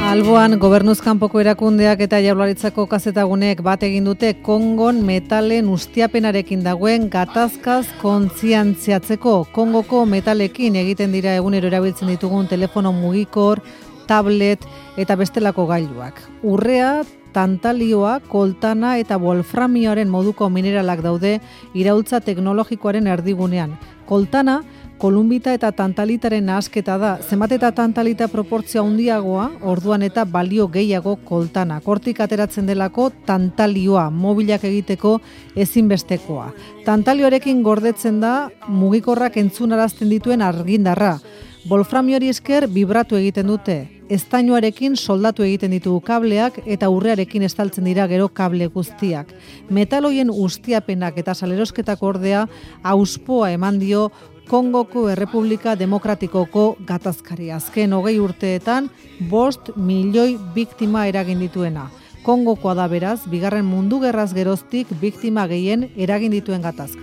Alboan, gobernuz kanpoko erakundeak eta Jaurlaritzako kazetaguneek bat egin dute Kongon metalen ustiapenarekin dagoen gatazkaz kontzientziatzeko. Kongoko metalekin egiten dira egunero erabiltzen ditugun telefono mugikor, tablet eta bestelako gailuak. Urrea, tantalioa, koltana eta wolframioaren moduko mineralak daude iraultza teknologikoaren erdigunean. Koltana, kolumbita eta tantalitaren nahasketa da. Zenbat eta tantalita proportzioa handiagoa, orduan eta balio gehiago koltana. Hortik ateratzen delako tantalioa, mobilak egiteko ezinbestekoa. Tantalioarekin gordetzen da mugikorrak entzunarazten dituen argindarra. Wolframiori esker vibratu egiten dute. Estainoarekin soldatu egiten ditugu kableak eta urrearekin estaltzen dira gero kable guztiak. Metaloien ustiapenak eta salerosketako ordea auspoa eman dio Kongoko Errepublika Demokratikoko gatazkari. Azken 20 urteetan 5 milioi biktima eragin dituena. Kongokoa da beraz, bigarren mundu gerraz geroztik biktima gehien eragin dituen gatazka.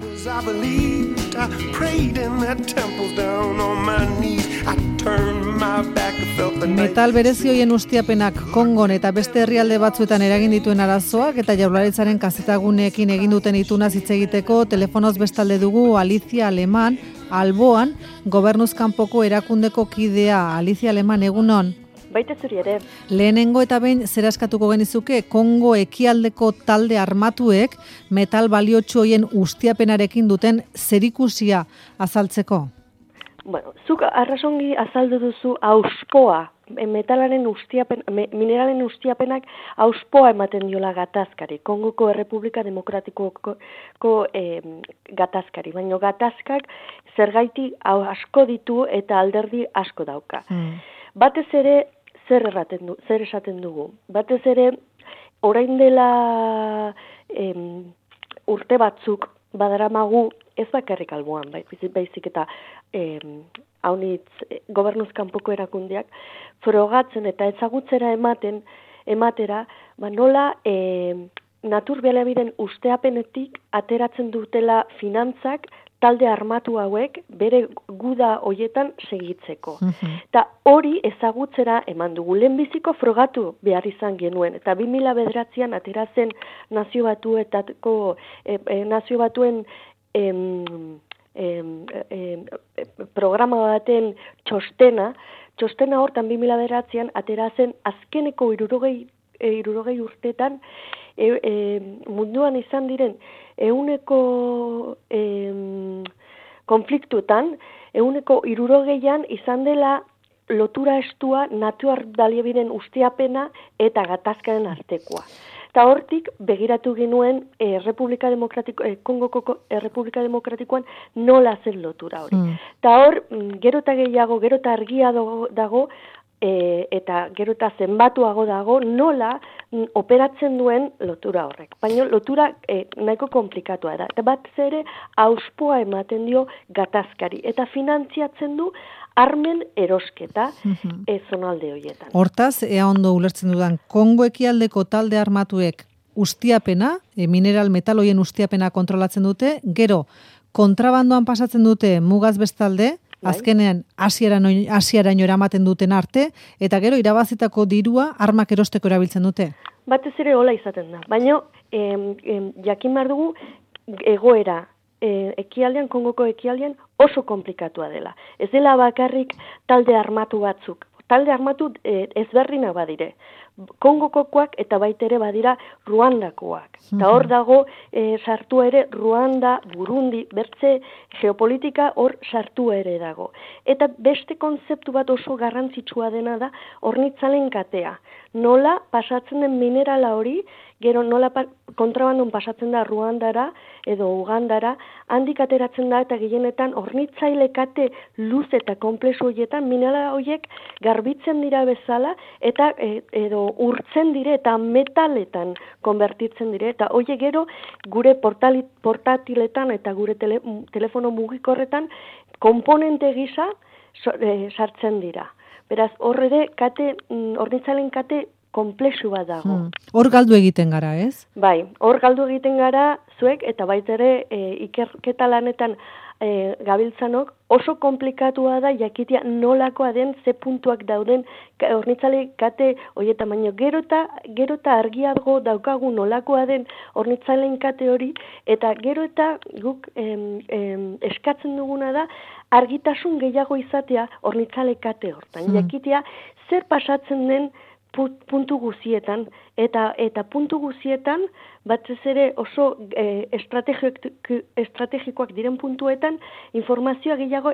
Metal berezi hoien ustiapenak Kongon eta beste herrialde batzuetan eragin dituen arazoak eta Jaurlaritzaren kazetaguneekin egin duten itunaz hitz egiteko telefonoz bestalde dugu Alicia Aleman, Alboan, gobernuz kanpoko erakundeko kidea. Alicia Aleman, egunon. Baita zuri ere. Lehenengo eta behin zera eskatuko genizuke Kongo ekialdeko talde armatuek metal baliotsu hoien ustiapenarekin duten zerikusia azaltzeko? Bueno, zuk arrasongi azaldu duzu auspoa, metalaren ustiapen, mineralen ustiapenak auspoa ematen diola gatazkari, Kongoko Errepublika Demokratikoko gatazkari, baina gatazkak zergaiti asko ditu eta alderdi asko dauka. Batez ere, zer esaten dugu? Batez ere, orain dela urte batzuk badaramagu ez bakarrik Alboan, baizik eta gobernuz kanpoko erakundeak frogatzen eta ezagutzera ematera, nola natur baliabideen usteapenetik ateratzen dutela finantzak talde armatu hauek bere guda hoietan segitzeko. Eta hori ezagutzera eman dugu. Lehenbiziko frogatu behar izan genuen. Eta 2009an ateratzen Nazio Batuen programa baten txostena hortan 2009an ateratzen azkeneko 60 urteetan munduan izan diren ehuneko konfliktuetan, 60an izan dela lotura estua natur baliabideen ustiapena eta gatazkaren artekoa. Eta hortik begiratu genuen Kongoko Errepublika Demokratikoan nola zen lotura hori. Eta hor, gero eta gehiago, gero eta argia dago, eta gero eta zenbatuago dago nola operatzen duen lotura horrek. Baina lotura nahiko komplikatua da. Eta bat ere auspoa ematen dio gatazkari. Eta finantziatzen du armen erosketa zonalde horietan. Hortaz, ea ondo ulertzen dudan, Kongo ekialdeko talde armatuek ustiapena, mineral metaloien ustiapena kontrolatzen dute, gero kontrabandoan pasatzen dute mugaz bestalde, azkenean Asiaraino eramaten duten arte, eta gero irabazitako dirua armak erosteko erabiltzen dute. Batez ere hola izaten da. Baina jakin behar dugu egoera ekialdean, Kongoko ekialdean oso komplikatua dela. Ez dela bakarrik talde armatu batzuk. Talde armatu ezberdinak badire. Kongokoak eta baita ere badira Ruandakoak. Eta hor dago sartu ere Ruanda, Burundi, bertze geopolitika hor sartu ere dago. Eta beste kontzeptu bat oso garrantzitsua dena da hornitzalen katea. Nola pasatzen den minerala hori, gero nola kontrabandon pasatzen da Ruandara edo Ugandara, handik ateratzen da eta gehienetan hornitzaile kate luz eta komplexu horietan minerala horiek garbitzen dira bezala eta edo urtzen dire eta metaletan konbertitzen dire eta horiek gero gure portatiletan eta gure telefono mugikorretan konponente gisa sartzen dira. Beraz, hor ere hornitzaileen kate komplexu bat dago. Hor galdu egiten gara, ez? Bai, hor galdu egiten gara zuek eta baita ere ikerketa lanetan gabiltzanok, oso komplikatua da jakitea nolakoa den, ze puntuak dauden hornitzale kate horietan, baino gero eta argiago daukagu nolakoa den hornitzaileen kate hori, eta gero eta guk eskatzen duguna da argitasun gehiago izatea hornitzale kate hortan, jakitea zer pasatzen den puntu guzietan, eta puntu guzietan, batez ere oso estrategikoak diren puntuetan, informazioa gehiago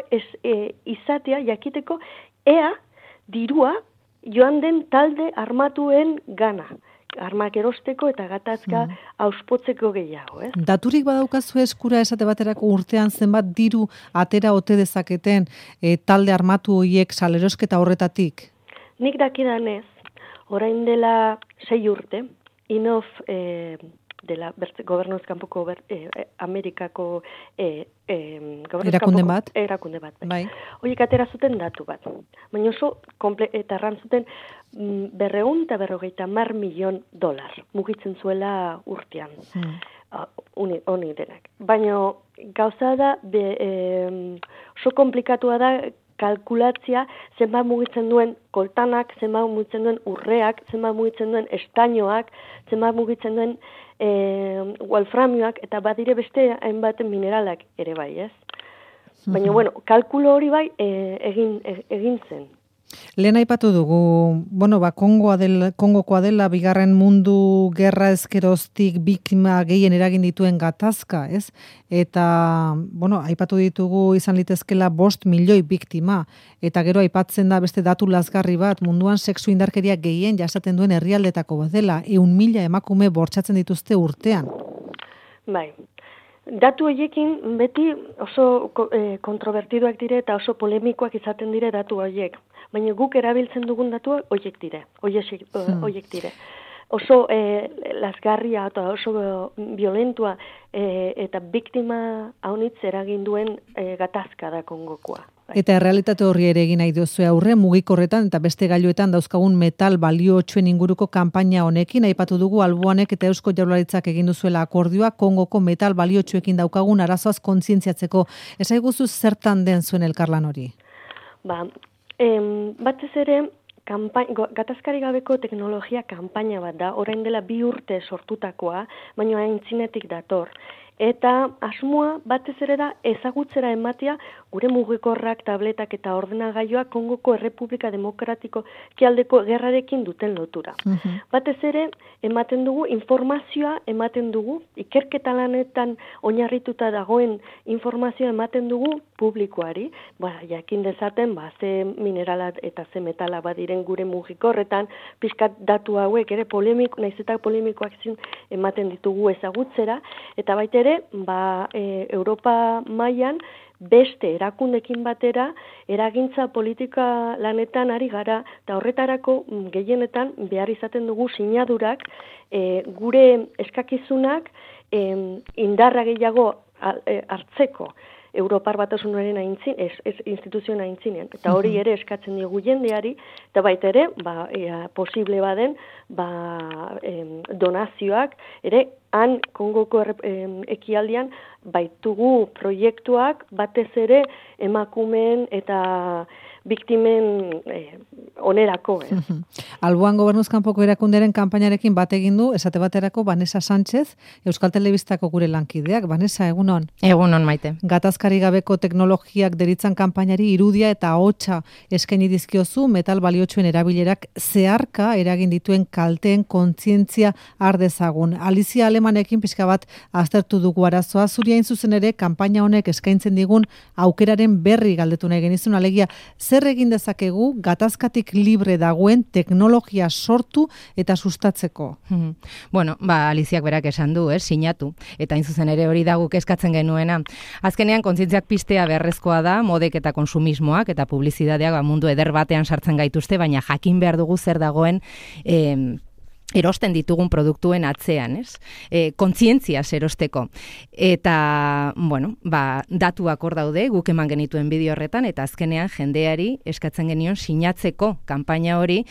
izatea, jakiteko, ea dirua joan den talde armatuen gana. Armak erosteko eta gatazka auspotzeko gehiago. Daturik badaukazu eskura esate baterako urtean zenbat diru atera ote dezaketen talde armatu horiek salerosketa horretatik? Nik dakidanez, orain dela 6 urte, INOF dela gobernuz kanpoko Amerikako erakunde bat. Bai. Horiek atera zuten datu bat. Baina oso eta erran zuten $250 milion mugitzen zuela urtean. Honi denak. Baina gauza da oso komplikatua da kalkulatzia zenbat mugitzen duen koltanak, zenbat mugitzen duen urreak, zenbat mugitzen duen estainoak, zenbat mugitzen duen wolframioak, eta badire beste hainbat mineralak ere bai, ez? Baina, kalkulo hori bai egin zen. Lehen aipatu dugu, Kongokoa dela bigarren mundu gerra ezkeroztik biktima gehien eragin dituen gatazka, ez? Eta, aipatu ditugu izan litezkela 5 milioi biktima, eta gero aipatzen da beste datu lazgarri bat, munduan sexu indarkeria gehien jasaten duen herrialdetako bat dela, 100.000 emakume bortxatzen dituzte urtean. Bai. Datu horiekin beti oso kontrobertidoak dire eta oso polemikoak izaten dire datu horiek. Baina guk erabiltzen dugun datuak horiek dire. Oso lazgarria eta oso violentua eta biktima haunitz eragin duen gatazka da Kongokoa. Eta errealitate horri ere egin nahi duzue aurre, mugikorretan eta beste gailuetan dauzkagun metal baliotsuen inguruko kanpaina honekin, aipatu dugu Alboanek eta Eusko Jaurlaritzak egin duzuela akordioa, Kongoko metal baliotsuekin daukagun arazoaz kontzientziatzeko. Esaiguzu zertan den zuen elkarlan hori? Batez ere, gatazkari gabeko teknologia kanpaina bat da, orain dela 2 urte sortutakoa, baina aintzinetik dator. Eta asmoa batez ere da ezagutzera ematea gure mugikorrak, tabletak eta ordenagailuak Kongoko Errepublika Demokratiko ekialdeko gerrarekin duten lotura. Batez ere ematen dugu informazioa ematen dugu, ikerketa lanetan oinarrituta dagoen informazioa ematen dugu publikoari, jakin dezaten ze minerala eta ze metala badiren gure mugikorretan, pixkat datu hauek ere naiz eta polemikoak ematen ditugu ezagutzera, eta baita ere, Europa mailan beste erakundekin batera eragintza politika lanetan ari gara, eta horretarako gehienetan behar izaten dugu sinadurak gure eskakizunak indarra gehiago hartzeko Europar Batasunaren instituzioen aintzinean. Eta hori ere eskatzen diogu jendeari, eta baita ere, posible baden, donazioak, ere, han Kongoko ekialdean baitugu proiektuak batez ere emakumeen eta biktimen onerako. Alboan Gobernuz kanpoko erakunderen kanpainarekin bat egin du, esate baterako Vanessa Sánchez, Euskal Telebistako gure lankideak. Vanessa, egunon? Egunon, Maite. Gatazkari gabeko teknologiak deritzan kanpainari irudia eta ahotsa eskaini dizkiozu metal baliotsuen erabilerak zeharka eragin dituen kalteen kontzientzia har dezagun. Alizia Alemanekin pixka bat aztertu dugu arazoa, zuri hain zuzen ere kanpaina honek eskaintzen digun aukeraren berri galdetu nahi genizun, alegia zer egin dezakegu gatazkatik libre dagoen teknologia sortu eta sustatzeko? Aliziak berak esan du, sinatu, eta hain zuzen ere hori da guk eskatzen genuena. Azkenean kontzientziak piztea beharrezkoa da, modek eta konsumismoak eta publizitateak mundu eder batean sartzen gaituzte, baina jakin behar dugu zer dagoen erosten ditugun produktuen atzean, ez? Kontzientziaz erosteko. Eta, datuak hor daude, guk eman genituen bideo horretan, eta azkenean jendeari eskatzen genion sinatzeko kanpaina hori,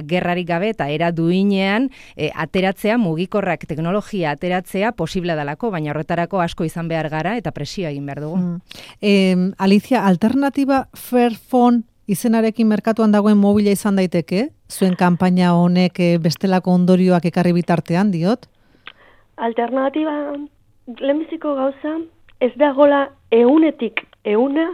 gerrarik gabe eta era duinean ateratzea, mugikorrak teknologia ateratzea posible dalako, baina horretarako asko izan behar gara eta presioa egin behar dugu. Alicia, alternatiba Fairphone izenarekin merkatuan dagoen mobila izan daiteke? Zuen kanpaina honek bestelako ondorioak ekarri bitartean, diot? Alternatiba, lehenbiziko gauza, ez dagoela 100%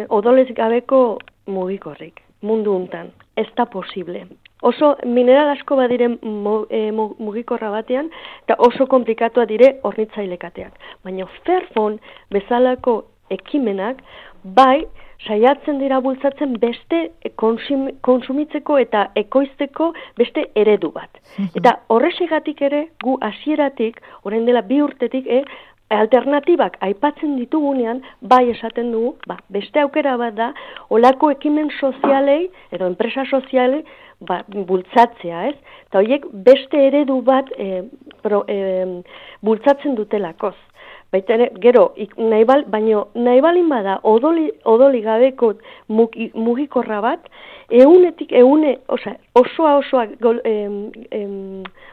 odolez gabeko mugikorrik, mundu untan. Ez da posible. Oso mineral asko badiren mugikorra batean, eta oso komplikatua dire hornitzailekateak. Baina Fairphone bezalako ekimenak, bai, saiatzen dira bultzatzen beste konsumitzeko eta ekoizteko beste eredu bat. Eta horrexegatik ere, gu hasieratik, orain dela 2 urtetik, alternatibak aipatzen ditugunean, bai esaten dugu, beste aukera bat da, olako ekimen sozialei, edo enpresa sozialei, bultzatzea, ez? Eta horiek beste eredu bat bultzatzen dutelakoz. Baita ere, gero, nahi balin bada odoli gabeko mugikorra bat, osoa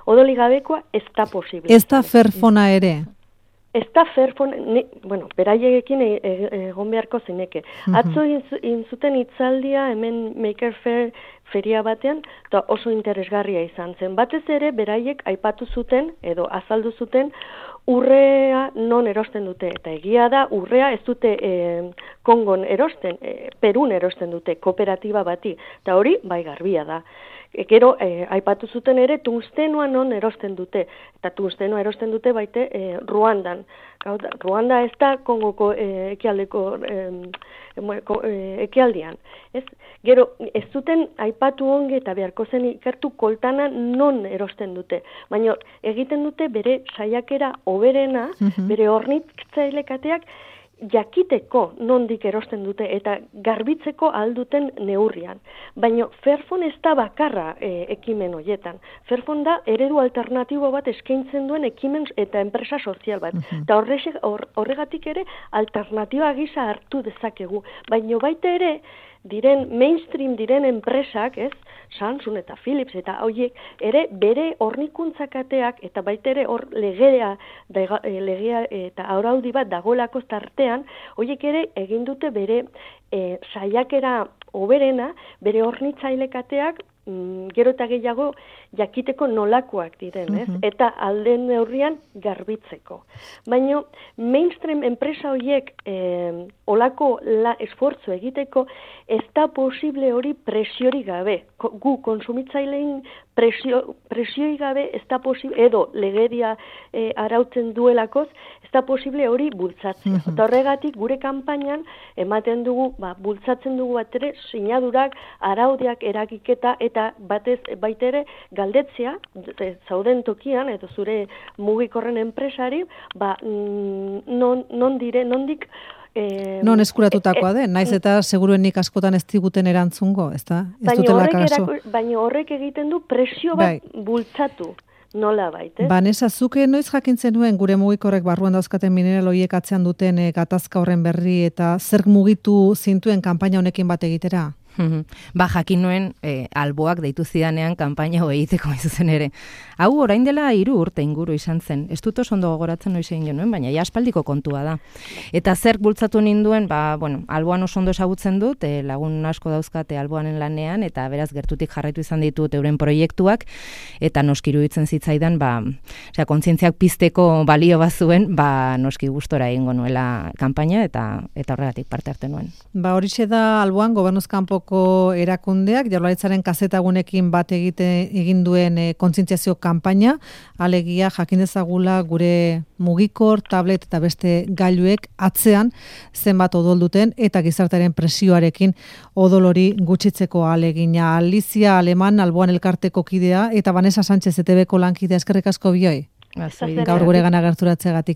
odoli gabekoa ez da posible. Ez da Fairphonea ere? Ez da Fairphone, beraiekin egon beharko zineke. Atzo inzuten hitzaldia hemen Maker Faire feria batean, eta oso interesgarria izan zen. Batez ere, beraiek aipatu zuten, edo azaldu zuten, urrea non erosten dute. Eta egia da, urrea ez dute Kongon erosten, Perun erosten dute, kooperatiba bati. Eta hori, bai garbia da. Gero, aipatu zuten ere, tungstenoa non erosten dute. Eta tungstenoa erosten dute baite Ruandan. Ruanda ez da Kongoko ekialdeko ekialdean. Gero, ez zuten aipatu onge eta beharko zen ikertu koltana non erosten dute. Baina egiten dute bere saiakera hoberena, bere hornitzailekateak jakiteko nondik erosten dute eta garbitzeko alduten neurrian. Baina Fairphone ez da bakarra ekimen horietan. Fairphone da eredu alternatibo bat eskaintzen duen ekimen eta enpresa sozial bat. Eta horregatik ere alternatiba gisa hartu dezakegu. Baina baita ere, mainstream diren enpresak, Samsung eta Philips eta horiek ere bere hornikuntzakateak eta baita ere hor legea eta araudi bat dagoelako tartean, horiek ere egin dute bere saiakera hoberena, bere hornitzailekateak gero eta gehiago jakiteko nolakoak diren, eta alden neurrian garbitzeko. Baina mainstream enpresa horiek olako esfortzu egiteko ez da posible hori presiori gabe. Gu konsumitzailein presioi gabe ez da posible, edo legedia arautzen duelakoz, ez da posible hori bultzatzea. Eta horregatik gure kanpainan ematen dugu, bultzatzen dugu bat ere, sinadurak, araudiak eragiketa eta baita ere galdetzea, zauden tokian, edo zure mugikorren enpresari, nondik non eskuratutakoa den, naiz eta seguruenik askotan ez diguten erantzungo, ez da? Ez dutela kaso. Baina horrek egiten du presio bat bultzatu. Nola baita. Vanessa, zuke noiz jakintzen nuen gure mugikorrek barruan dauzkaten mineral horiek atzean duten gatazka horren berri eta zer mugitu zintuen kanpaina honekin bat egitera? Jakin nuen alboak deitu zidanean kanpaina egiteko zuzen ere. Hau orain dela 3 urte inguru izan zen. Ez dut oso ondo gogoratzen noiz egin genuen, baina ja aspaldiko kontua da. Eta zer bultzatu ninduen, alboan oso ondo ezagutzen dut, lagun asko dauzkate alboanen lanean, eta beraz gertutik jarraitu izan ditut euren proiektuak, eta noski iruditzen zitzaidan, kontzientziak pizteko balio bazuen, noski gustora egingo nuela kanpaina, eta horregatik parte hartu nuen. Horixe da alboan gobernuz kanpoko erakundeak, Jaurlaritzaren kazetagunekin bat egin duen kontzientziazio kanpaina, alegia jakin dezagula gure mugikor, tablet eta beste gailuek atzean zenbat odol duten eta gizartearen presioarekin odol hori gutxitzeko alegina. Alicia Aleman, alboan elkarteko kidea, eta Vanessa Sánchez ETBko lankidea, eskerrik asko bioi. Gaur gure gana gerturatzeagatik.